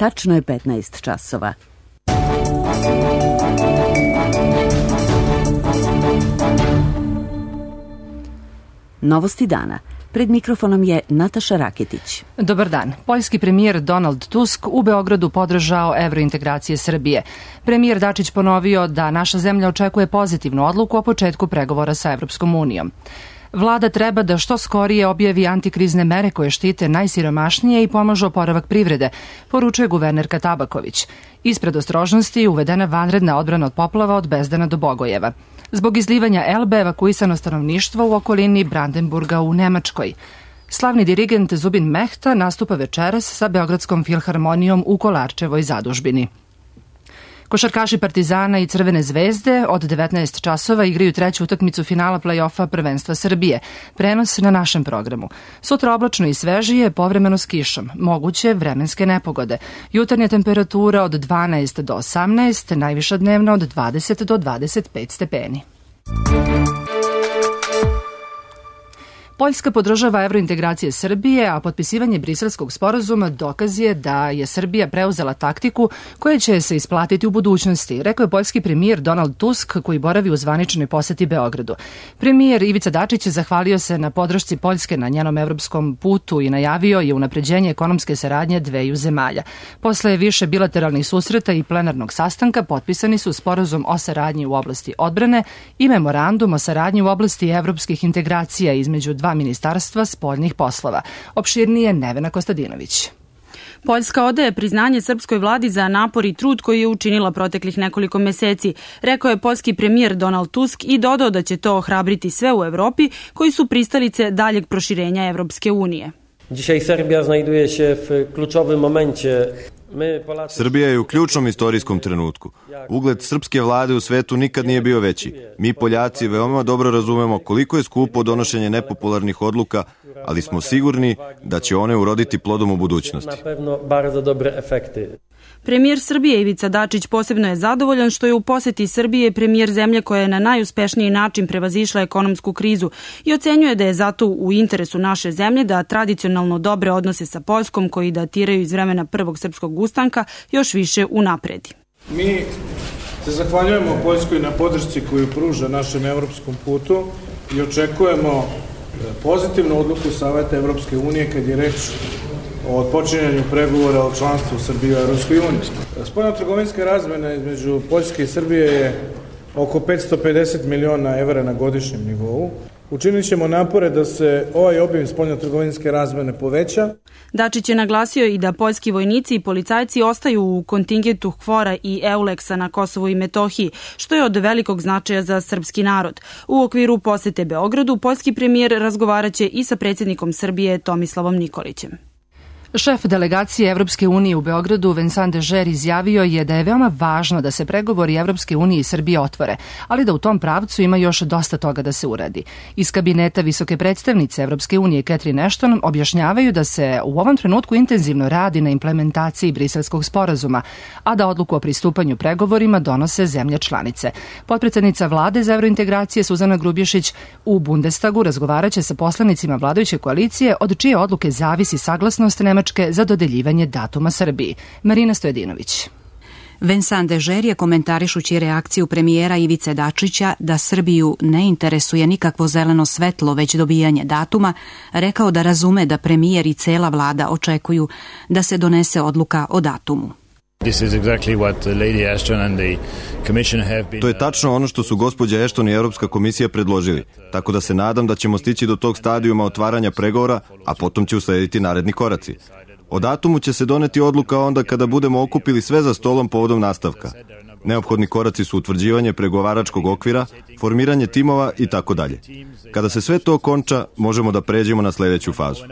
Tačno je 15 časova. Novosti dana. Pred mikrofonom je Nataša Raketić. Dobar dan. Poljski premijer Donald Tusk u Beogradu podržao evrointegracije Srbije. Premijer Dačić ponovio da naša zemlja očekuje pozitivnu odluku o početku pregovora sa Evropskom unijom. Vlada treba da što skorije objavi antikrizne mere koje štite najsiromašnije i pomažu oporavak privrede, poručuje guvernerka Tabaković. Ispred ostrožnosti uvedena vanredna odbrana od poplava od Bezdana do Bogojeva. Zbog izlivanja Elbe evakuisano stanovništvo u okolini Brandenburga u Nemačkoj. Slavni dirigent Zubin Mehta nastupa večeras sa Beogradskom filharmonijom u Kolarčevoj zadužbini. Košarkaši Partizana i Crvene zvezde od 19 časova igraju treću utakmicu finala play-offa prvenstva Srbije. Prenos na našem programu. Sutra oblačno i svežije, povremeno s kišom. Moguće vremenske nepogode. Jutarnja temperatura od 12 do 18, najviša dnevna od 20 do 25 stepeni. Poljska podržava evrointegracije Srbije, a potpisivanje Briselskog sporazuma dokaz je da je Srbija preuzela taktiku koja će se isplatiti u budućnosti, rekao je poljski premijer Donald Tusk koji boravi u zvaničnoj poseti Beogradu. Premijer Ivica Dačić zahvalio se na podršci Poljske na njenom evropskom putu i najavio je unapređenje ekonomske saradnje dveju zemalja. Posle više bilateralnih susreta i plenarnog sastanka potpisani su sporazum o saradnji u oblasti odbrane i memorandum o saradnji u oblasti evropskih integracija između dva ministarstva spoljnih poslova. Opširnije Nevena Kostadinović. Poljska odaje priznanje srpskoj vladi za napor i trud koji je učinila proteklih nekoliko meseci, rekao je poljski premijer Donald Tusk i dodao da će to ohrabriti sve u Evropi koji su pristalice daljeg proširenja Evropske unije. Dzisiaj Serbia znajduje się w kluczowym momencie. Srbija je u ključnom istorijskom trenutku. Ugled srpske vlade u svetu nikad nije bio veći. Mi Poljaci veoma dobro razumemo koliko je skupo donošenje nepopularnih odluka, ali smo sigurni da će one uroditi plodom u budućnosti. Premijer Srbije Ivica Dačić posebno je zadovoljan što je u poseti Srbije premijer zemlje koja je na najuspešniji način prevazišla ekonomsku krizu i ocenjuje da je zato u interesu naše zemlje da tradicionalno dobre odnose sa Poljskom koji datiraju iz vremena prvog srpskog ustanka još više unapredi. Mi se zahvaljujemo Poljskoj na podršci koju pruža našem evropskom putu i očekujemo pozitivnu odluku Saveta Evropske unije kad je reč o odpočinjanju pregovora o članstvu Srbije u Evropskoj uniji. Spoljnotrgovinska razmena između Poljske i Srbije je oko 550 miliona evra na godišnjem nivou. Učinit ćemo napore da se ovaj obim spoljnotrgovinske razmene poveća. Dačić je naglasio i da poljski vojnici i policajci ostaju u kontingentu KFOR-a i EULEX-a na Kosovu i Metohiji, što je od velikog značaja za srpski narod. U okviru posete Beogradu, poljski premijer razgovaraće i sa predsjednikom Srbije Tomislavom Nikolićem. Šef delegacije Evropske unije u Beogradu, Vincent Dežer, izjavio je da je veoma važno da se pregovori Evropske unije i Srbije otvore, ali da u tom pravcu ima još dosta toga da se uradi. Iz kabineta visoke predstavnice Evropske unije Catherine Ashton objašnjavaju da se u ovom trenutku intenzivno radi na implementaciji Briselskog sporazuma, a da odluku o pristupanju pregovorima donose zemlje članice. Potpredsednica vlade za evrointegracije Suzana Grubješić u Bundestagu razgovaraće sa poslanicima vladajuće koalicije od čije odluke zavisi saglasnost Nemačke za dodeljivanje datuma Srbiji. Marina Stojedinović. Vincent Dežer je komentarišući reakciju premijera Ivice Dačića da Srbiju ne interesuje nikakvo zeleno svetlo, već dobijanje datuma, rekao da razume da premijer i cela vlada očekuju da se donese odluka o datumu. To je tačno ono što su gospođa Ashton i Europska komisija predložili, tako da se nadam da ćemo stići do tog stadijuma otvaranja pregovora, a potom će uslediti naredni koraci. O datumu će se doneti odluka onda kada budemo okupili sve za stolom povodom nastavka. Neophodni koraci su utvrđivanje pregovaračkog okvira, formiranje timova i tako dalje. Kada se sve to konča, možemo da pređemo na sledeću fazu.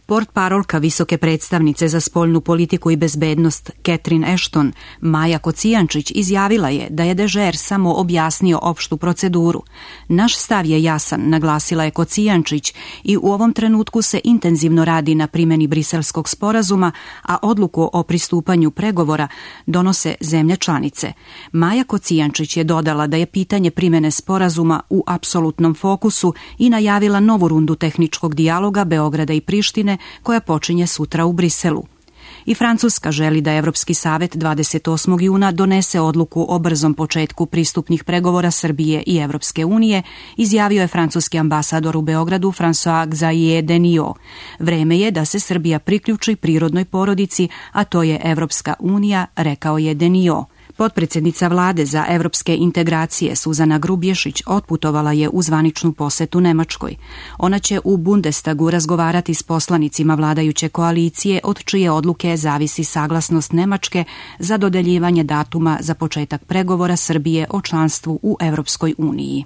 Portparolka visoke predstavnice za spoljnu politiku i bezbednost Catherine Ashton, Maja Kocijančić, izjavila je da je Dežer samo objasnio opštu proceduru. Naš stav je jasan, naglasila je Kocijančić, i u ovom trenutku se intenzivno radi na primjeni Briselskog sporazuma, a odluku o pristupanju pregovora donose zemlje članice. Maja Kocijančić je dodala da je pitanje primjene sporazuma u apsolutnom fokusu i najavila novu rundu tehničkog dijaloga Beograda i Prištine teme koja počinje sutra u Briselu. I Francuska želi da Evropski savet 28. juna donese odluku o brzom početku pristupnih pregovora Srbije i Evropske unije, izjavio je francuski ambasador u Beogradu François-Xavier Deniot. Vreme je da se Srbija priključi prirodnoj porodici, a to je Evropska unija, rekao je Deniot. Potpredsjednica vlade za evropske integracije Suzana Grubješić otputovala je u zvaničnu posetu Nemačkoj. Ona će u Bundestagu razgovarati s poslanicima vladajuće koalicije od čije odluke zavisi saglasnost Nemačke za dodeljivanje datuma za početak pregovora Srbije o članstvu u Evropskoj uniji.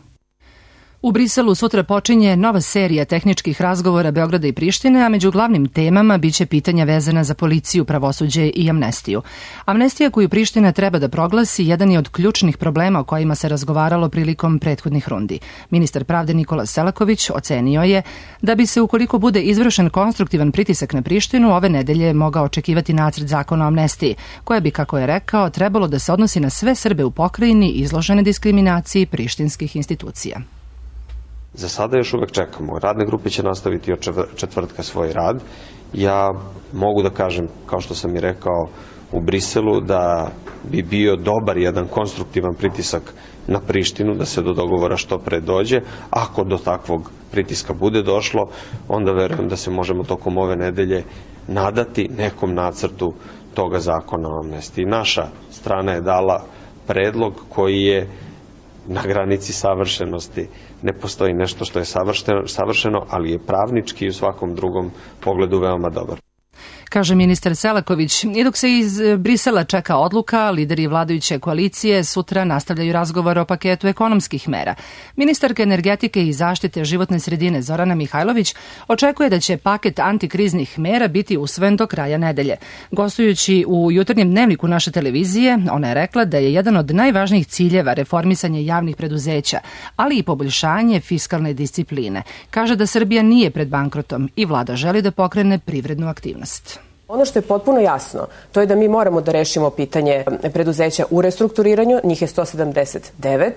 U Briselu sutra počinje nova serija tehničkih razgovora Beograda i Prištine, a među glavnim temama biće pitanja vezana za policiju, pravosuđe i amnestiju. Amnestija koju Priština treba da proglasi jedan je od ključnih problema o kojima se razgovaralo prilikom prethodnih rundi. Ministar pravde Nikola Selaković ocenio je da bi se, ukoliko bude izvršen konstruktivan pritisak na Prištinu, ove nedelje mogao očekivati nacrt zakona o amnestiji, koja bi, kako je rekao, trebalo da se odnosi na sve Srbe u pokrajini izložene diskriminaciji prištinskih institucija. Za sada još uvek čekamo. Radne grupe će nastaviti od četvrtka svoj rad. Ja mogu da kažem, kao što sam i rekao u Briselu, da bi bio dobar jedan konstruktivan pritisak na Prištinu, da se do dogovora što pre dođe. Ako do takvog pritiska bude došlo, onda verujem da se možemo tokom ove nedelje nadati nekom nacrtu toga zakona o amnestiji. Naša strana je dala predlog koji je na granici savršenosti. Ne postoji nešto što je savršeno, ali je pravnički i u svakom drugom pogledu veoma dobar. Kaže ministar Selaković. I dok se iz Brisela čeka odluka, lideri vladajuće koalicije sutra nastavljaju razgovor o paketu ekonomskih mera. Ministarka energetike i zaštite životne sredine Zorana Mihajlović očekuje da će paket antikriznih mera biti usvojen do kraja nedelje. Gostujući u jutarnjem dnevniku naše televizije, ona je rekla da je jedan od najvažnijih ciljeva reformisanje javnih preduzeća, ali i poboljšanje fiskalne discipline. Kaže da Srbija nije pred bankrotom i vlada želi da pokrene privrednu aktivnost. Ono što je potpuno jasno, to je da mi moramo da rešimo pitanje preduzeća u restrukturiranju, njih je 179,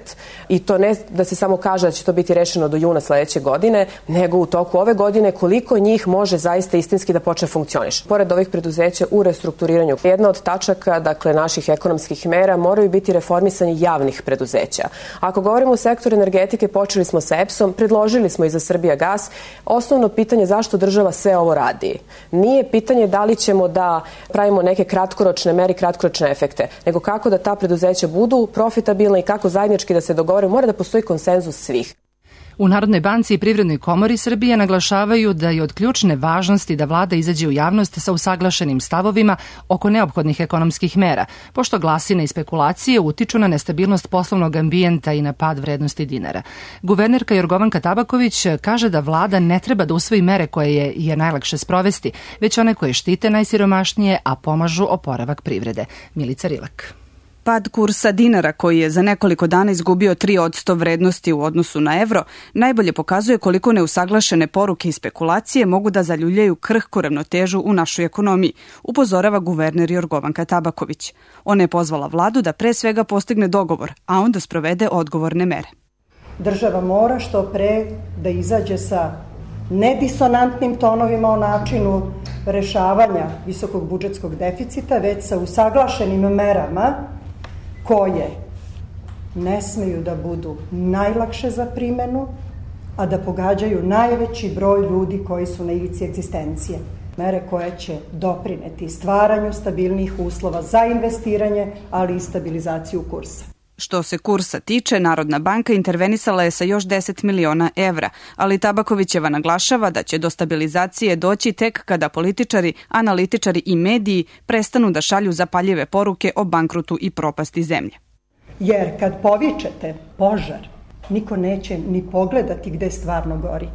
i to ne da se samo kaže da će to biti rešeno do juna sledeće godine, nego u toku ove godine koliko njih može zaista istinski da počne funkcioniš. Pored ovih preduzeća u restrukturiranju, jedna od tačaka, dakle, naših ekonomskih mera moraju biti reformisanje javnih preduzeća. Ako govorimo o sektoru energetike, počeli smo sa EPS-om, predložili smo i za Srbijagas. Osnovno pitanje zašto država sve ovo radi. Nije pitanje da li ćemo da pravimo neke kratkoročne mere, kratkoročne efekte, nego kako da ta preduzeća budu profitabilna i kako zajednički da se dogovore. Mora da postoji konsenzus svih. U Narodnoj banci i Privrednoj komori Srbije naglašavaju da je od ključne važnosti da vlada izađe u javnost sa usaglašenim stavovima oko neophodnih ekonomskih mera, pošto glasine i spekulacije utiču na nestabilnost poslovnog ambijenta i na pad vrednosti dinara. Guvernerka Jorgovanka Tabaković kaže da vlada ne treba da usvoji mere koje je najlakše sprovesti, već one koje štite najsiromašnije, a pomažu oporavak privrede. Milica Rilak. Pad kursa dinara, koji je za nekoliko dana izgubio 3% vrednosti u odnosu na evro, najbolje pokazuje koliko neusaglašene poruke i spekulacije mogu da zaljuljaju krhku ravnotežu u našoj ekonomiji, upozorava guverner Jorgovanka Tabaković. Ona je pozvala vladu da pre svega postigne dogovor, a onda sprovede odgovorne mere. Država mora što pre da izađe sa nedisonantnim tonovima o načinu rešavanja visokog budžetskog deficita, već sa usaglašenim merama koje ne smeju da budu najlakše za primenu, a da pogađaju najveći broj ljudi koji su na ivici egzistencije. Mere koje će doprineti stvaranju stabilnih uslova za investiranje, ali i stabilizaciju kursa. Što se kursa tiče, Narodna banka intervenisala je sa još 10 miliona evra, ali Tabakovićeva naglašava da će do stabilizacije doći tek kada političari, analitičari i mediji prestanu da šalju zapaljive poruke o bankrotu i propasti zemlje. Jer kad povičete požar, niko neće ni pogledati gde stvarno gori.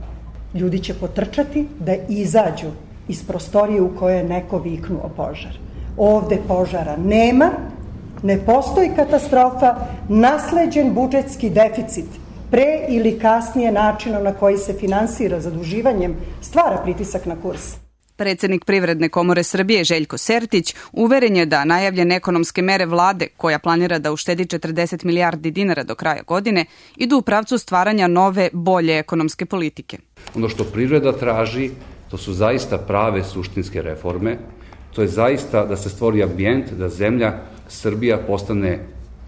Ljudi će potrčati da izađu iz prostorije u kojoj je neko viknuo požar. Ovde požara nema, ne postoji katastrofa, nasleđen budžetski deficit pre ili kasnije načinom na koji se finansira zaduživanjem stvara pritisak na kurs. Predsednik Privredne komore Srbije Željko Sertić uveren je da najavljene ekonomske mere vlade, koja planira da uštedi 40 milijardi dinara do kraja godine, idu u pravcu stvaranja nove, bolje ekonomske politike. Ono što privreda traži To su zaista prave suštinske reforme. To je zaista da se stvori ambijent da zemlja Srbija postane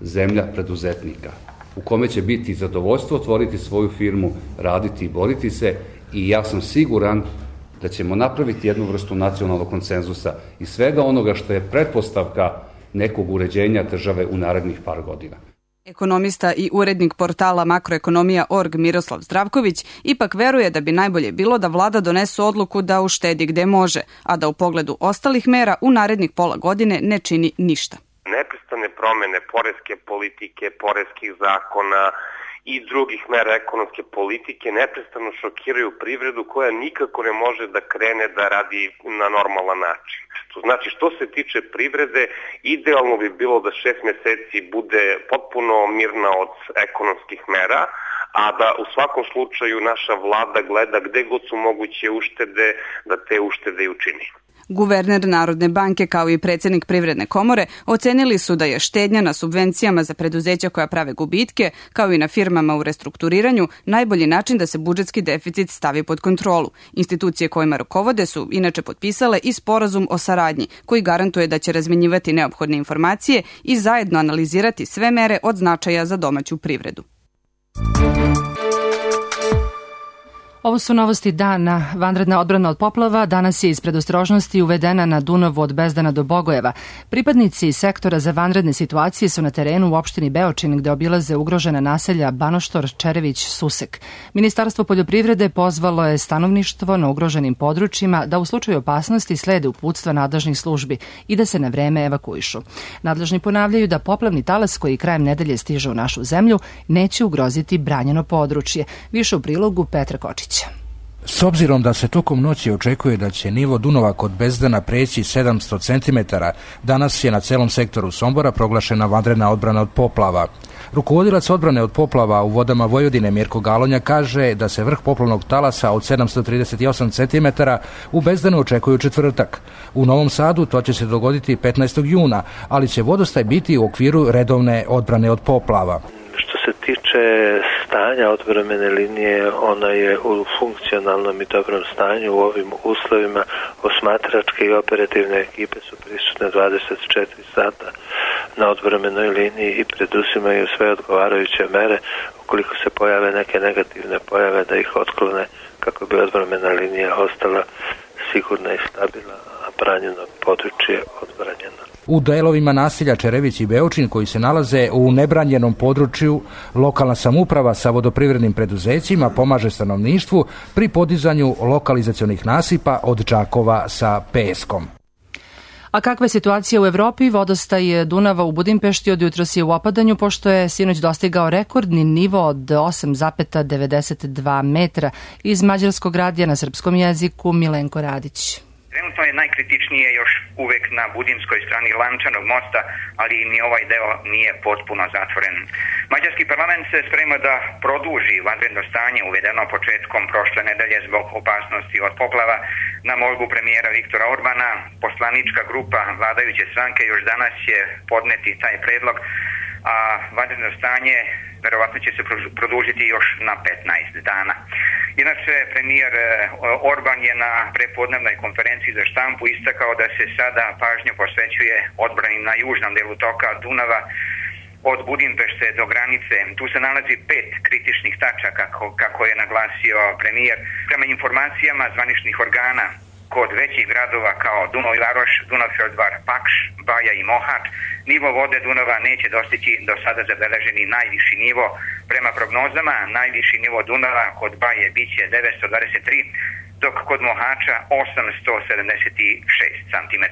zemlja preduzetnika, u kome će biti zadovoljstvo otvoriti svoju firmu, raditi i boriti se, i ja sam siguran da ćemo napraviti jednu vrstu nacionalnog konsenzusa i svega onoga što je pretpostavka nekog uređenja države u narednih par godina. Ekonomista i urednik portala Makroekonomija.org Miroslav Zdravković ipak veruje da bi najbolje bilo da vlada donese odluku da uštedi gde može, a da u pogledu ostalih mera u narednih pola godine ne čini ništa. Neprestane promene poreske politike, poreskih zakona i drugih mera ekonomske politike neprestano šokiraju privredu koja nikako ne može da krene da radi na normalan način. To znači, što se tiče privrede, idealno bi bilo da 6 meseci bude potpuno mirna od ekonomskih mera, a da u svakom slučaju naša vlada gleda gde god su moguće uštede, da te uštede i učini. Guverner Narodne banke kao i predsednik Privredne komore ocenili su da je štednja na subvencijama za preduzeća koja prave gubitke, kao i na firmama u restrukturiranju, najbolji način da se budžetski deficit stavi pod kontrolu. Institucije kojima rukovode su inače potpisale i sporazum o saradnji, koji garantuje da će razmenjivati neophodne informacije i zajedno analizirati sve mere od značaja za domaću privredu. Ovo su novosti dana. Vanredna odbrana od poplava danas je iz predostrožnosti uvedena na Dunavu od Bezdana do Bogojeva. Pripadnici sektora za vanredne situacije su na terenu u opštini Beočin gde obilaze ugrožena naselja Banoštor, Čerević, Susek. Ministarstvo poljoprivrede pozvalo je stanovništvo na ugroženim područjima da u slučaju opasnosti slede uputstva nadležnih službi i da se na vreme evakuišu. Nadležni ponavljaju da poplavni talas koji krajem nedelje stiže u našu zemlju neće ugroziti branjeno područje. Više u prilogu Petra Kočić. S obzirom da se tokom noći očekuje da će nivo Dunava kod Bezdana preći 700 cm, danas je na celom sektoru Sombora proglašena vanredna odbrana od poplava. Rukovodilac odbrane od poplava u vodama Vojvodine Mirko Galonja kaže da se vrh poplavnog talasa od 738 cm u Bezdanu očekuje u četvrtak. U Novom Sadu to će se dogoditi 15. juna, ali će vodostaj biti u okviru redovne odbrane od poplava. Što se tiče stanja odbrambene linije, ona je u funkcionalnom i dobrom stanju. U ovim uslovima osmatračke i operativne ekipe su prisutne 24 sata na odbrambenoj liniji i preduzimaju sve odgovarajuće mere ukoliko se pojave neke negativne pojave da ih otklone kako bi odbrambena linija ostala sigurna i stabilna, a branjeno područje odbranjeno. U delovima naselja Čerević i Beočin koji se nalaze u nebranjenom području, lokalna samouprava sa vodoprivrednim preduzećima pomaže stanovništvu pri podizanju lokalizacionih nasipa od džakova sa peskom. A kakva je situacija u Evropi? Vodostaj Dunava u Budimpešti od jutros je u opadanju, pošto je sinoć dostigao rekordni nivo od 8,92 metra. Iz Mađarskog radija na srpskom jeziku Milenko Radić. Trenutno je najkritičnije još uvek na budimskoj strani Lančanog mosta, ali ni ovaj deo nije potpuno zatvoren. Mađarski parlament se sprema da produži vanredno stanje uvedeno početkom prošle nedelje zbog opasnosti od poplava. Na molbu premijera Viktora Orbana, poslanička grupa vladajuće stranke još danas će podneti taj predlog, a vanredno stanje verovatno će se produžiti još na 15 dana. Inače, premijer Orban je na prepodnevnoj konferenciji za štampu istakao da se sada pažnju posvećuje odbrani na južnom delu toka Dunava od Budimpešte do granice. Tu se nalazi 5 kritičnih tačaka, kako je naglasio premijer. Prema informacijama zvaničnih organa, kod većih gradova kao Dunav i Varoš, Dunav Feldvar, Pakš, Baja i Mohač, nivo vode Dunava neće dostići do sada zabeleženi najviši nivo. Prema prognozama, najviši nivo Dunava kod Baje biće 923, dok kod Mohača 876 cm.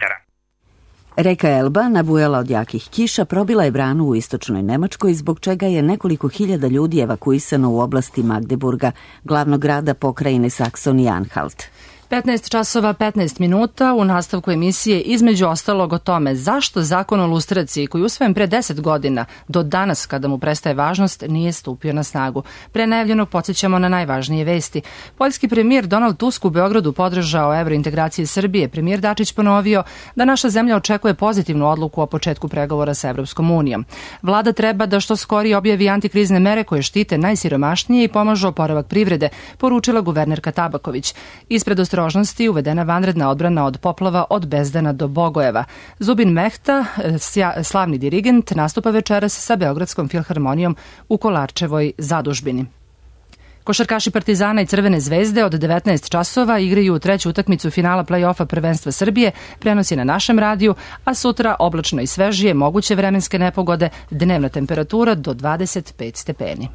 Reka Elba, nabujala od jakih kiša, probila je branu u istočnoj Nemačkoj, zbog čega je nekoliko hiljada ljudi evakuisano u oblasti Magdeburga, glavnog grada pokrajine Saksonije-Anhalt. 15 časova 15 minuta u nastavku emisije između ostalog o tome zašto zakon o lustraciji koji je usvojen pre 10 godina do danas kada mu prestaje važnost nije stupio na snagu. Pre najavljenog podsjećamo na najvažnije vesti. Poljski premijer Donald Tusk u Beogradu podržao evrointegracije Srbije. Premijer Dačić ponovio da naša zemlja očekuje pozitivnu odluku o početku pregovora sa Evropskom unijom. Vlada treba da što skorije objavi antikrizne mere koje štite najsiromašnije i pomažu oporavak privrede, poručila guvernerka Tabaković. Ispred predostrožnosti uvedena vanredna odbrana od poplava od Bezdana do Bogojeva. Zubin Mehta, slavni dirigent, nastupa večeras sa Beogradskom filharmonijom u Kolarčevoj zadužbini. Košarkaši Partizana i Crvene zvezde od 19 časova igraju treću utakmicu finala play-offa prvenstva Srbije, prenosi na našem radiju, a sutra oblačno i svežije, moguće vremenske nepogode, dnevna temperatura do 25 stepeni.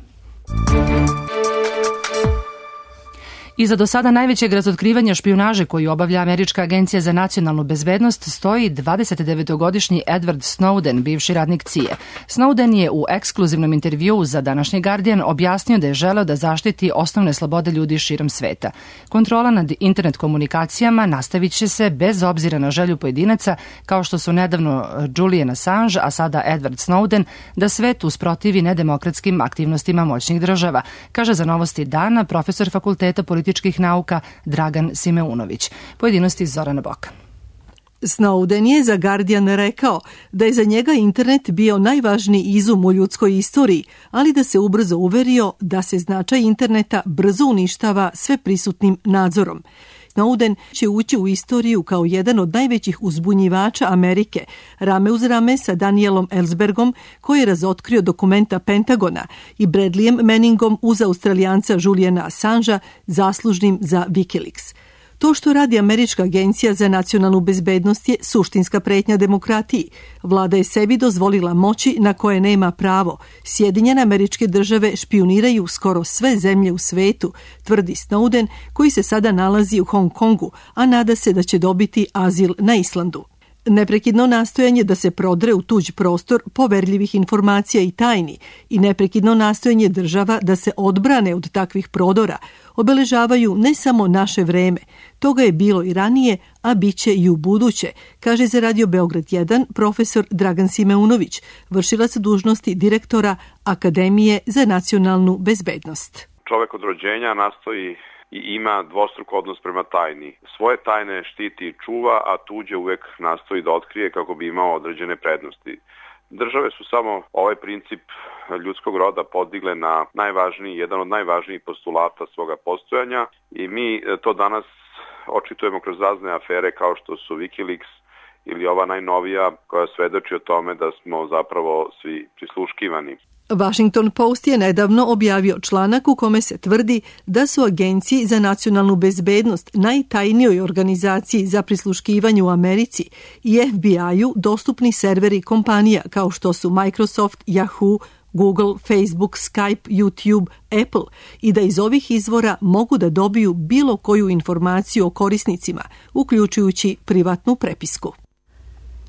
Iza do sada najvećeg razotkrivanja špijunaže koju obavlja Američka agencija za nacionalnu bezbednost stoji 29-godišnji Edward Snowden, bivši radnik CIA. Snowden je u ekskluzivnom intervjuu za današnji Guardian objasnio da je želeo da zaštiti osnovne slobode ljudi širom sveta. Kontrola nad internet komunikacijama nastavit će se bez obzira na želju pojedinaca, kao što su nedavno Julian Assange, a sada Edward Snowden, da svet usprotivi nedemokratskim aktivnostima moćnih država, kaže za Novosti dana profesor Fakulteta političkih nauka Dragan Simeunović. Pojedinosti Zorana Boka. Snowden je za Guardian rekao da je za njega internet bio najvažniji izum u ljudskoj istoriji, ali da se ubrzo uverio da se značaj interneta brzo uništava sve prisutnim nadzorom. Snowden će ući u istoriju kao jedan od najvećih uzbunjivača Amerike, rame uz rame sa Danielom Ellsbergom, koji je razotkrio dokumenta Pentagona, i Bradleyem Manningom uz Australijanca Juliana Assangea, zaslužnim za Wikileaks. To što radi Američka agencija za nacionalnu bezbednost je suštinska pretnja demokratiji. Vlada je sebi dozvolila moći na koje nema pravo. Sjedinjene Američke Države špijuniraju skoro sve zemlje u svetu, tvrdi Snowden, koji se sada nalazi u Hong Kongu, a nada se da će dobiti azil na Islandu. Neprekidno nastojanje da se prodre u tuđ prostor poverljivih informacija i tajni i neprekidno nastojanje država da se odbrane od takvih prodora obeležavaju ne samo naše vreme. Toga je bilo i ranije, a bit će i u buduće, kaže za Radio Beograd 1 profesor Dragan Simeunović, vršilac dužnosti direktora Akademije za nacionalnu bezbednost. Čovek od rođenja nastoji i ima dvostruk odnos prema tajni. Svoje tajne štiti i čuva, a tuđe uvek nastoji da otkrije kako bi imao određene prednosti. Države su samo ovaj princip ljudskog roda podigle na jedan od najvažnijih postulata svoga postojanja i mi to danas očitujemo kroz razne afere kao što su Wikileaks ili ova najnovija koja svedoči o tome da smo zapravo svi prisluškivani. Washington Post je nedavno objavio članak u kome se tvrdi da su agenciji za nacionalnu bezbednost, najtajnijoj organizaciji za prisluškivanje u Americi, i FBI-u dostupni serveri kompanija kao što su Microsoft, Yahoo, Google, Facebook, Skype, YouTube, Apple i da iz ovih izvora mogu da dobiju bilo koju informaciju o korisnicima, uključujući privatnu prepisku.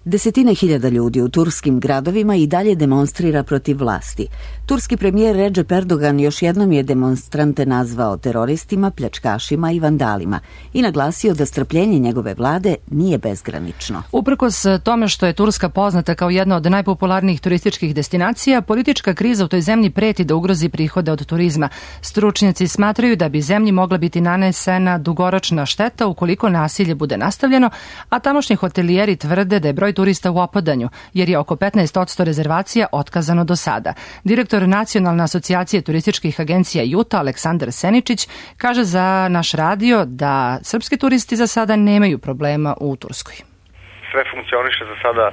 Desetine hiljada ljudi u turskim gradovima i dalje demonstrira protiv vlasti. Turski premijer Recep Erdogan još jednom je demonstrante nazvao teroristima, pljačkašima i vandalima i naglasio da strpljenje njegove vlade nije bezgranično. Uprkos tome što je Turska poznata kao jedna od najpopularnijih turističkih destinacija, politička kriza u toj zemlji preti da ugrozi prihode od turizma. Stručnjaci smatraju da bi zemlji mogla biti nanesena dugoročna šteta ukoliko nasilje bude nastavljeno, a tamošnji hotelijeri tvrde da je broj turista u opadanju, jer je oko 15% rezervacija otkazano do sada. Direktor Nacionalne asocijacije turističkih agencija Juta, Aleksandar Seničić, kaže za naš radio da srpski turisti za sada nemaju problema u Turskoj. Sve funkcioniše za sada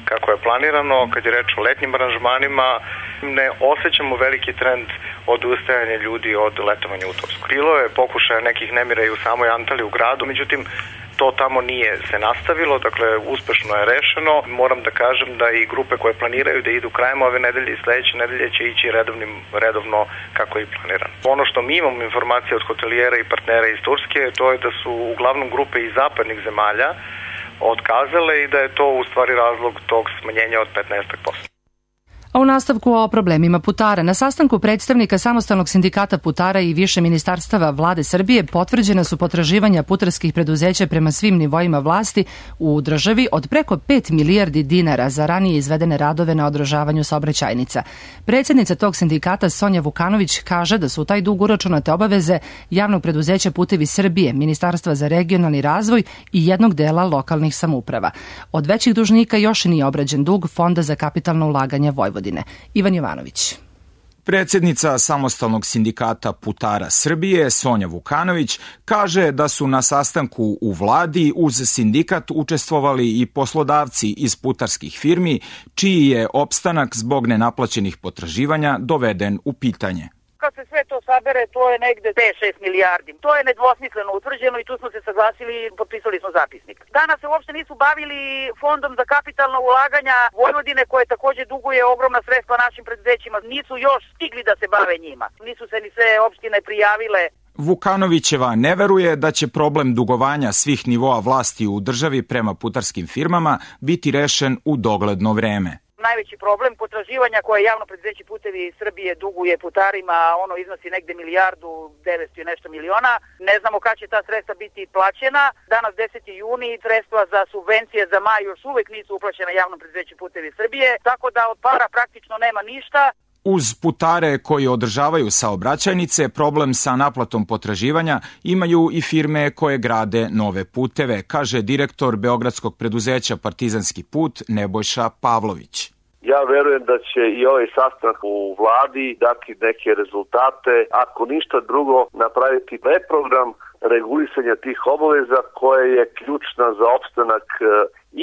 kako je planirano. Kad je reč o letnjim aranžmanima, ne osjećamo veliki trend odustajanja ljudi od letovanja u Tursku. Bilo je pokušaja nekih nemira i u samoj Antaliji u gradu, međutim, to tamo nije se nastavilo, dakle uspešno je rešeno. Moram da kažem da i grupe koje planiraju da idu krajem ove nedelje i sledeće nedelje će ići redovno kako je i planirano. Ono što mi imamo informacije od hotelijera i partnera iz Turske, to je da su uglavnom grupe iz zapadnih zemalja otkazale i da je to u stvari razlog tog smanjenja od 15%. A u nastavku o problemima putara. Na sastanku predstavnika Samostalnog sindikata putara i više ministarstava vlade Srbije potvrđena su potraživanja putarskih preduzeća prema svim nivoima vlasti u državi od preko 5 milijardi dinara za ranije izvedene radove na održavanju saobraćajnica. Predsjednica tog sindikata Sonja Vukanović kaže da su u taj dug uračunate obaveze javnog preduzeća Putevi Srbije, Ministarstva za regionalni razvoj i jednog dela lokalnih samouprava. Od većih dužnika još nije obrađen dug Fonda za kapitalno ulaganje Vojvodine. Ivan Jovanović. Predsednica Samostalnog sindikata putara Srbije, Sonja Vukanović, kaže da su na sastanku u vladi uz sindikat učestvovali i poslodavci iz putarskih firmi, čiji je opstanak zbog nenaplaćenih potraživanja doveden u pitanje. Kad se sve to sabere, to je negde 5-6 milijardi. To je nedvosmisleno utvrđeno i tu smo se saglasili i potpisali smo zapisnik. Danas se uopšte nisu bavili fondom za kapitalna ulaganja Vojvodine, koje takođe duguje ogromna sredstva našim preduzećima. Nisu još stigli da se bave njima. Nisu se ni sve opštine prijavile. Vukanovićeva ne veruje da će problem dugovanja svih nivoa vlasti u državi prema putarskim firmama biti rešen u dogledno vreme. Najveći problem potraživanja koje javno preduzeće Putevi Srbije duguje putarima, ono iznosi negde 1.900.000 i nešto miliona. Ne znamo kad će ta sredstva biti plaćena. Danas 10. juni sredstva za subvencije za maj još uvek nisu uplaćena javnom preduzeću Putevi Srbije, tako da od para praktično nema ništa. Uz putare koji održavaju saobraćajnice, problem sa naplatom potraživanja imaju i firme koje grade nove puteve, kaže direktor beogradskog preduzeća Partizanski put Nebojša Pavlović. Ja verujem da će i ovaj sastanak u vladi dati neke rezultate, ako ništa drugo napraviti reprogram regulisanja tih obaveza koja je ključna za opstanak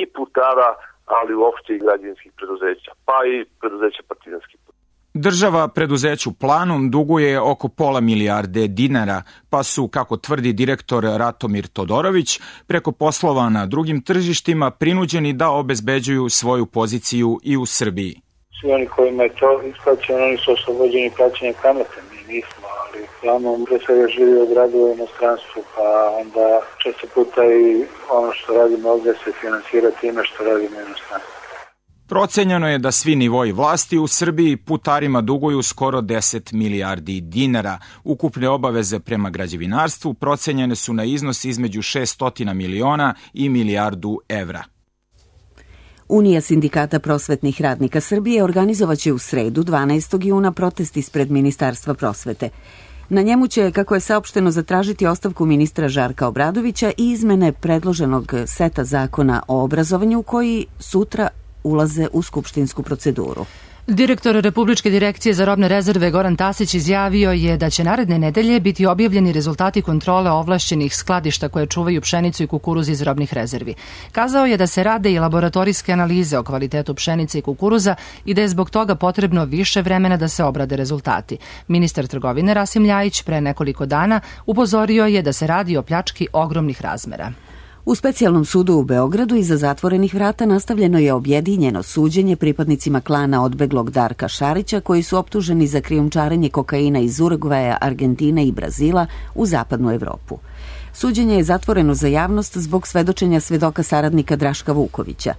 i putara, ali uopšte i građevinskih preduzeća, pa i preduzeća Partizanski put. Država preduzeću Planum duguje oko £0,5 milijarde dinara, pa su, kako tvrdi direktor Ratomir Todorović, preko poslova na drugim tržištima prinuđeni da obezbeđuju svoju poziciju i u Srbiji. Svi oni kojima je to isplaćeno, oni su oslobođeni plaćanja kamate, mi nismo, ali Planum pre svega živi od radova u inostranstvu, pa onda često puta i ono što radimo ovdje se finansira time što radimo u inostranstvu. Procenjeno je da svi nivoi vlasti u Srbiji putarima duguju skoro 10 milijardi dinara. Ukupne obaveze prema građevinarstvu procenjene su na iznos između 600 miliona i milijardu evra. Unija sindikata prosvetnih radnika Srbije organizovaće u sredu 12. juna protest ispred Ministarstva prosvete. Na njemu će, kako je saopšteno, zatražiti ostavku ministra Žarka Obradovića i izmene predloženog seta zakona o obrazovanju koji sutra ulaze u skupštinsku proceduru. Direktor Republičke direkcije za robne rezerve Goran Tasić izjavio je da će naredne nedelje biti objavljeni rezultati kontrole ovlašćenih skladišta koje čuvaju pšenicu i kukuruz iz robnih rezervi. Kazao je da se rade i laboratorijske analize o kvalitetu pšenice i kukuruza i da je zbog toga potrebno više vremena da se obrade rezultati. Ministar trgovine Rasim Ljajić pre nekoliko dana upozorio je da se radi o pljački ogromnih razmera. U specijalnom sudu u Beogradu iza zatvorenih vrata nastavljeno je objedinjeno suđenje pripadnicima klana odbeglog Darka Šarića koji su optuženi za krijumčarenje kokaina iz Urugvaja, Argentine i Brazila u zapadnu Evropu. Suđenje je zatvoreno za javnost zbog svedočenja svedoka saradnika Draška Vukovića.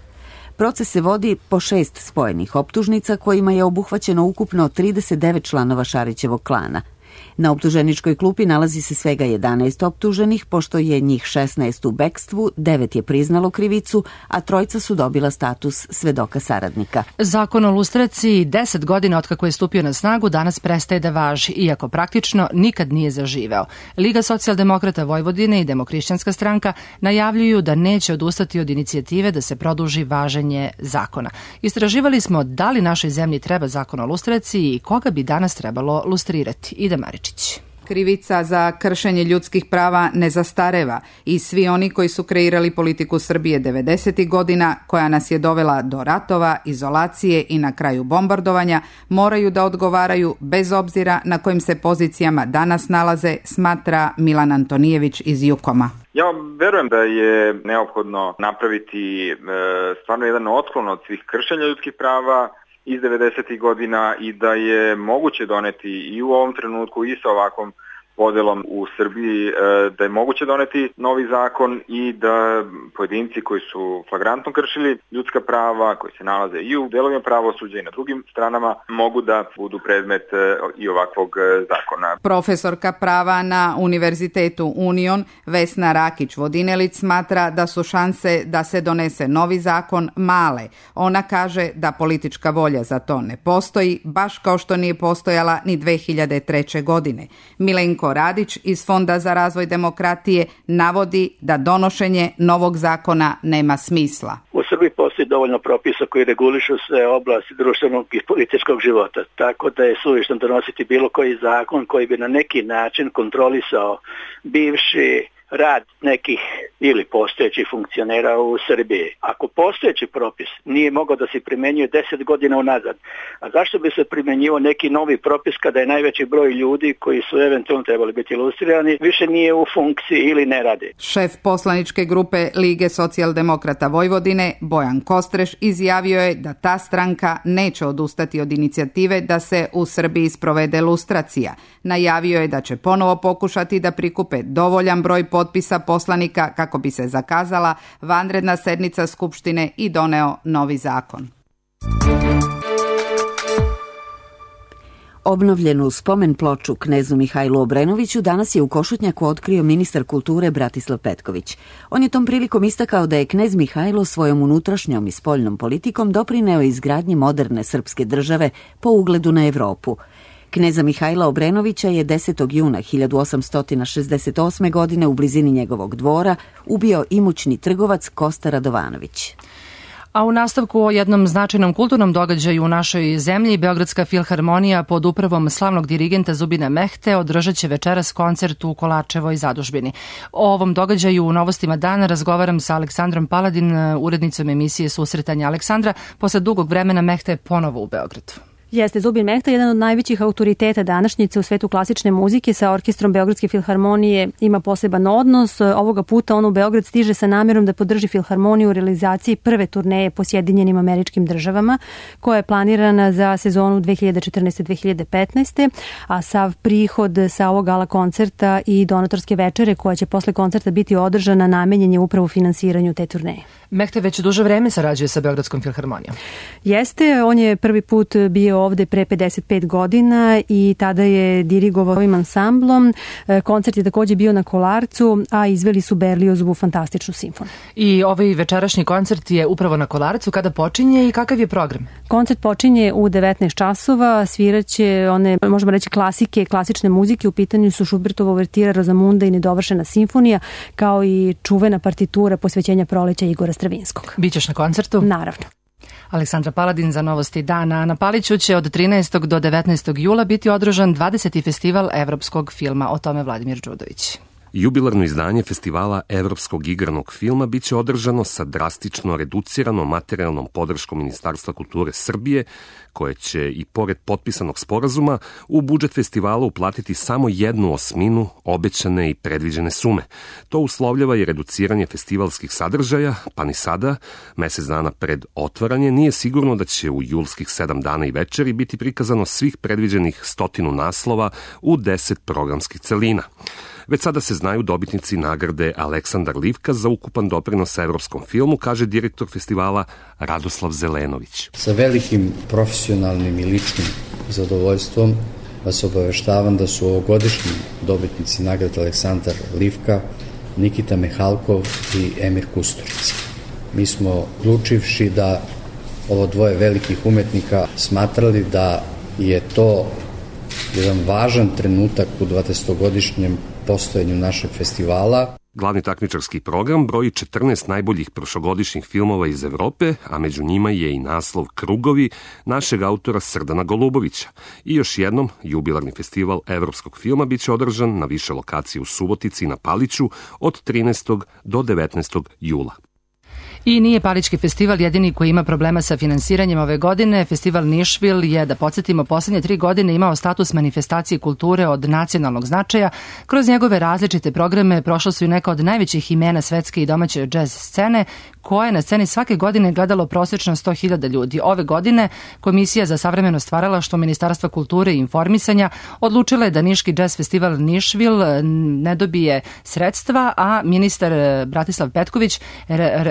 Proces se vodi po 6 spojenih optužnica kojima je obuhvaćeno ukupno 39 članova Šarićevog klana. Na optuženičkoj klupi nalazi se svega 11 optuženih, pošto je njih 16 u bekstvu, 9 je priznalo krivicu, a 3 su dobila status svedoka saradnika. Zakon o lustraciji 10 godina otkako je stupio na snagu danas prestaje da važi, iako praktično nikad nije zaživeo. Liga socijaldemokrata Vojvodine i Demohrišćanska stranka najavljuju da neće odustati od inicijative da se produži važenje zakona. Istraživali smo da li našoj zemlji treba zakon o lustraciji i koga bi danas trebalo lustrirati. Ide Maričić. Krivica za kršenje ljudskih prava ne zastareva i svi oni koji su kreirali politiku Srbije 90. godina, koja nas je dovela do ratova, izolacije i na kraju bombardovanja, moraju da odgovaraju bez obzira na kojim se pozicijama danas nalaze, smatra Milan Antonijević iz Jukoma. Ja verujem da je neophodno napraviti stvarno jedan otklon od svih kršenja ljudskih prava iz 90. godina i da je moguće doneti i u ovom trenutku i sa ovakvom podelom u Srbiji, da je moguće doneti novi zakon i da pojedinci koji su flagrantno kršili ljudska prava, koji se nalaze i u delovima pravosuđa i na drugim stranama, mogu da budu predmet i ovakvog zakona. Profesorka prava na Univerzitetu Union Vesna Rakić-Vodinelić smatra da su šanse da se donese novi zakon male. Ona kaže da politička volja za to ne postoji, baš kao što nije postojala ni 2003. godine. Milenko Radić iz Fonda za razvoj demokratije navodi da donošenje novog zakona nema smisla. U Srbiji postoji postoji dovoljno propisa koji regulišu sve oblasti društvenog i političkog života. Tako da je suvišno donositi bilo koji zakon koji bi na neki način kontrolisao bivši rad nekih ili postojećih funkcionera u Srbiji. Ako postojeći propis nije mogao da se primenjuje 10 godina unazad, a zašto bi se primenjivao neki novi propis kada je najveći broj ljudi koji su eventualno trebali biti ilustrirani više nije u funkciji ili ne radi? Šef poslaničke grupe Lige socijaldemokrata Vojvodine, Bojan Kostreš, izjavio je da ta stranka neće odustati od inicijative da se u Srbiji sprovede lustracija. Najavio je da će ponovo pokušati da prikupe dovoljan broj potpisa poslanika kako bi se zakazala vanredna sednica Skupštine i doneo novi zakon. Obnovljenu spomen ploču knezu Mihajlu Obrenoviću danas je u Košutnjaku otkrio ministar kulture Bratislav Petković. On je tom prilikom istakao da je knez Mihajlo svojom unutrašnjom i spoljnom politikom doprineo izgradnji moderne srpske države po ugledu na Evropu. Kneza Mihajla Obrenovića je 10. juna 1868. godine u blizini njegovog dvora ubio imućni trgovac Kosta Radovanović. A u nastavku o jednom značajnom kulturnom događaju u našoj zemlji, Beogradska filharmonija pod upravom slavnog dirigenta Zubina Mehte održat će večeras koncert u Kolačevoj zadužbini. O ovom događaju u Novostima dana razgovaram sa Aleksandrom Paladin, urednicom emisije Susretanja. Aleksandra, posle dugog vremena Mehte je ponovo u Beogradu. Jeste, Zubin Mehta, jedan od najvećih autoriteta današnjice u svetu klasične muzike, sa orkestrom Beogradske filharmonije ima poseban odnos. Ovoga puta on u Beograd stiže sa namjerom da podrži filharmoniju u realizaciji prve turneje po Sjedinjenim Američkim Državama, koja je planirana za sezonu 2014-2015. A sav prihod sa ovog gala koncerta i donatorske večere koja će posle koncerta biti održana namenjen je upravo finansiranju te turneje. Mehta već duže vreme sarađuje sa Beogradskom filharmonijom. Jeste, on je prvi put bio ovde pre 55 godina i tada je dirigovao ovim ansamblom. Koncert je takođe bio na Kolarcu, a izveli su Berliozovu fantastičnu simfoniju. I ovaj večerašnji koncert je upravo na Kolarcu. Kada počinje i kakav je program? Koncert počinje u 19 časova, sviraće one, možemo reći, klasike, klasične muzike. U pitanju su Schubertova uvertira, Rozamunda i nedovršena simfonija, kao i čuvena partitura posvećenja proleća Igora Stravinskog. Bićeš na koncertu? Naravno. Aleksandra Paladin za Novosti dana. Na Paliću će od 13. do 19. jula biti održan 20. festival evropskog filma. O tome Vladimir Đudović. Jubilarno izdanje festivala evropskog igranog filma biće održano sa drastično reduciranom materijalnom podrškom Ministarstva kulture Srbije, koje će i pored potpisanog sporazuma u budžet festivala uplatiti samo 1/8 obećane i predviđene sume. To uslovljava i reduciranje festivalskih sadržaja, pa ni sada, mesec dana pred otvaranje, nije sigurno da će u julskih 7 dana i večeri biti prikazano svih predviđenih 100 naslova u 10 programskih celina. Već sada se znaju dobitnici nagrade Aleksandar Livka za ukupan doprinos evropskom filmu, kaže direktor festivala Radoslav Zelenović. Sa velikim profesionalnim i ličnim zadovoljstvom vas obaveštavam da su ovogodišnji dobitnici nagrade Aleksandar Livka Nikita Mehalkov i Emir Kusturica. Mi smo, odlučivši da ovo dvoje velikih umetnika, smatrali da je to jedan važan trenutak u 20-godišnjem postojanju našeg festivala. Glavni takmičarski program broji 14 najboljih prošlogodišnjih filmova iz Evrope, a među njima je i naslov Krugovi našeg autora Srdana Golubovića. I još jednom, jubilarni festival evropskog filma biće održan na više lokacije u Subotici i na Paliću od 13. do 19. jula. I nije Palićki festival jedini koji ima problema sa finansiranjem ove godine. Festival Nišvil je, da podsjetimo, poslednje 3 godine imao status manifestacije kulture od nacionalnog značaja. Kroz njegove različite programe prošlo su i neka od najvećih imena svetske i domaće džez scene, koje na sceni svake godine gledalo prosječno 100.000 ljudi. Ove godine Komisija za savremeno stvaralaštvo Ministarstva kulture i informisanja odlučila je da Niški džez festival Nišvil ne dobije sredstva, a ministar Bratislav Petković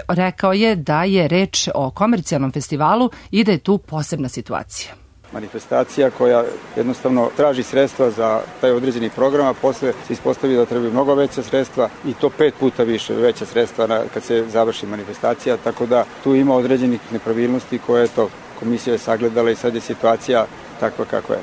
rekao je da je reč o komercijalnom festivalu i da je tu posebna situacija. Manifestacija koja jednostavno traži sredstva za taj određeni program, a posle se ispostavi da trebaju mnogo veća sredstva i to 5 puta više veća sredstva kad se završi manifestacija, tako da tu ima određenih nepravilnosti koje je to komisija je sagledala i sad je situacija takva kakva je.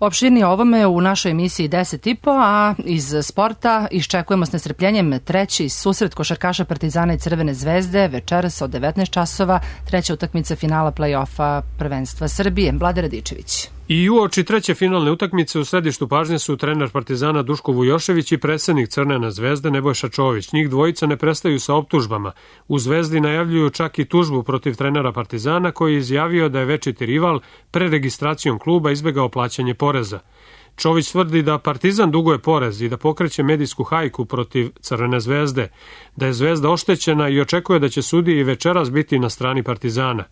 Opširnije ovome u našoj emisiji 10.5, a iz sporta iščekujemo s nestrpljenjem treći susret košarkaša Partizana i Crvene zvezde večeras od 19 časova, treća utakmica finala play-offa prvenstva Srbije. Vlade Radičević. I uoči treće finalne utakmice u središtu pažnje su trener Partizana Duško Vujošević i predsednik Crvene zvezde Nebojša Čović. Njih dvojica ne prestaju sa optužbama. U Zvezdi najavljuju čak i tužbu protiv trenera Partizana koji je izjavio da je večiti rival pre registracijom kluba izbegao plaćanje poreza. Čović tvrdi da Partizan duguje porez i da pokreće medijsku hajku protiv Crvene zvezde, da je Zvezda oštećena i očekuje da će sudije i večeras biti na strani Partizana.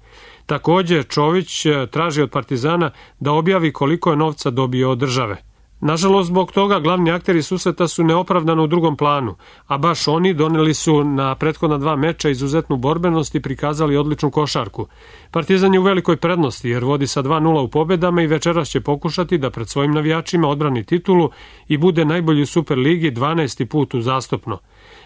Takođe, Čović traži od Partizana da objavi koliko je novca dobio od države. Nažalost, zbog toga glavni akteri susreta su neopravdano u drugom planu, a baš oni doneli su na prethodna 2 meča izuzetnu borbenost i prikazali odličnu košarku. Partizan je u velikoj prednosti jer vodi sa 2:0 u pobedama i večeras će pokušati da pred svojim navijačima odbrani titulu i bude najbolji u Superligi 12. put uzastopno.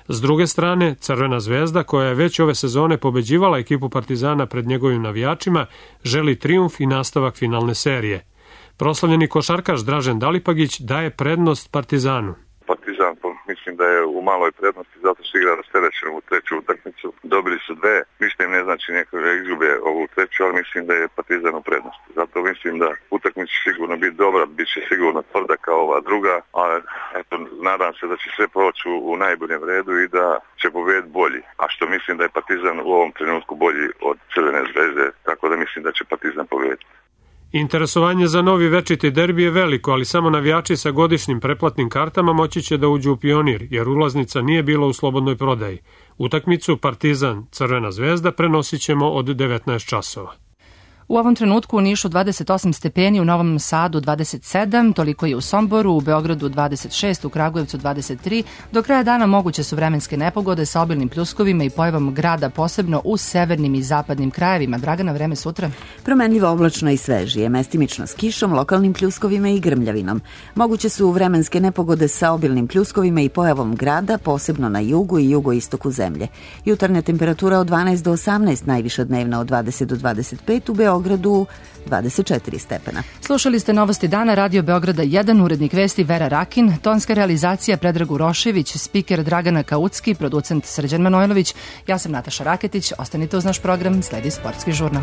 S druge strane, Crvena zvezda, koja je već ove sezone pobeđivala ekipu Partizana pred njegovim navijačima, želi trijumf i nastavak finalne serije. Proslavljeni košarkaš Dražen Dalipagić daje prednost Partizanu. Partizan mislim da je u maloj prednosti zato što igra rasterećeno u treću utakmicu. Dobili su 2, ništa im ne znači neko da izgube ovu treću, ali mislim da je Partizan u prednosti. Zato mislim da utakmica će sigurno biti dobra, bit će sigurno tvrda kao ova druga, ali eto, nadam se da će sve proći u najboljem redu i da će pobediti bolji. A što mislim da je Partizan u ovom trenutku bolji od Crvene zvezde, tako da mislim da će Partizan pobediti. Interesovanje za novi večiti derbi je veliko, ali samo navijači sa godišnjim pretplatnim kartama moći će da uđu u Pionir, jer ulaznica nije bila u slobodnoj prodaji. Utakmicu Partizan Crvena zvezda prenosit ćemo od 19 časova. U ovom trenutku u Nišu 28 stepeni, u Novom Sadu 27, toliko je u Somboru, u Beogradu 26, u Kragujevcu 23. Do kraja dana moguće su vremenske nepogode sa obilnim pljuskovima i pojavom grada, posebno u severnim i zapadnim krajevima. Dragana, vreme sutra? Promenljivo oblačno i svežije, mestimično s kišom, lokalnim pljuskovima i grmljavinom. Moguće su vremenske nepogode sa obilnim pljuskovima i pojavom grada, posebno na jugu i jugoistoku zemlje. Jutarnja temperatura od 12 do 18, najviša dnevna od 20 do 25, u Beogradu 24 stepena. Slušali ste Novosti dana, Radio Beograda 1, urednik vesti Vera Rakin, tonska realizacija Predrag Urošević, spiker Dragana Kaucki, producent Srđan Manojlović, ja sam Nataša Raketić, ostanite uz naš program, sledi Sportski žurnal.